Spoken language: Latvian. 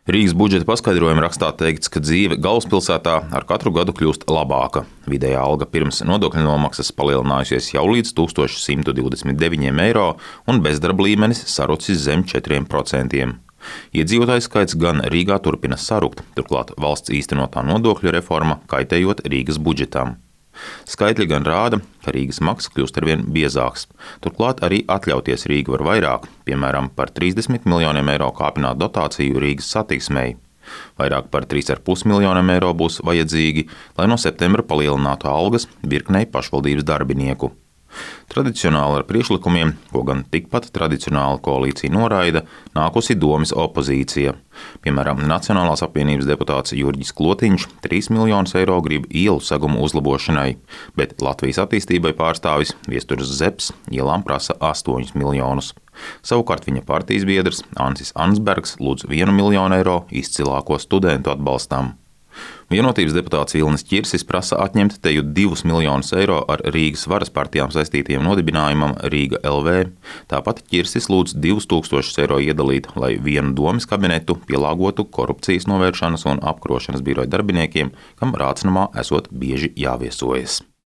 Rīgas budžeta paskaidrojuma rakstā teikts, ka dzīve galvaspilsētā ar katru gadu kļūst labāka. Vidējā alga pirms nodokļu nomaksas palielinājusies jau līdz 1129 eiro un bezdarba līmenis sarucis zem 4%. Iedzīvotāju skaits gan Rīgā turpina sarukt, turklāt valsts īstenotā nodokļu reforma kaitējot Rīgas budžetam. Skaitļi gan rāda, ka Rīgas maksa kļūst arvien biezāks. Turklāt arī atļauties Rīgu var vairāk, piemēram, par 30 miljoniem eiro kāpināt dotāciju Rīgas satiksmei. Vairāk par 3,5 miljoniem eiro būs vajadzīgi, lai no septembra palielinātu algas virknei pašvaldības darbinieku. Tradicionāli ar priekšlikumiem, ko gan tikpat tradicionāli koalīcija noraida, nākusi domes opozīcija. Piemēram, Nacionālās apvienības deputāts Jurģis Klotiņš 3 miljonus eiro grib ielu segumu uzlabošanai, bet Latvijas attīstībai pārstāvis Viesturs Zepes ielām prasa 8 miljonus. Savukārt viņa partijas biedrs Ansis Ansbergs lūdz 1 miljonu eiro izcilāko studentu atbalstam. Vienotības deputāts Vilnis Ķirsis prasa atņemt teju 2 miljonus eiro ar Rīgas varas partijām saistītiem nodibinājumam Rīga LV. Tāpat Ķirsis lūdz 2000 eiro iedalīt, lai vienu domes kabinetu pielāgotu korupcijas novēršanas un apkarošanas biroja darbiniekiem, kam Rācnamā esot bieži jāviesojas.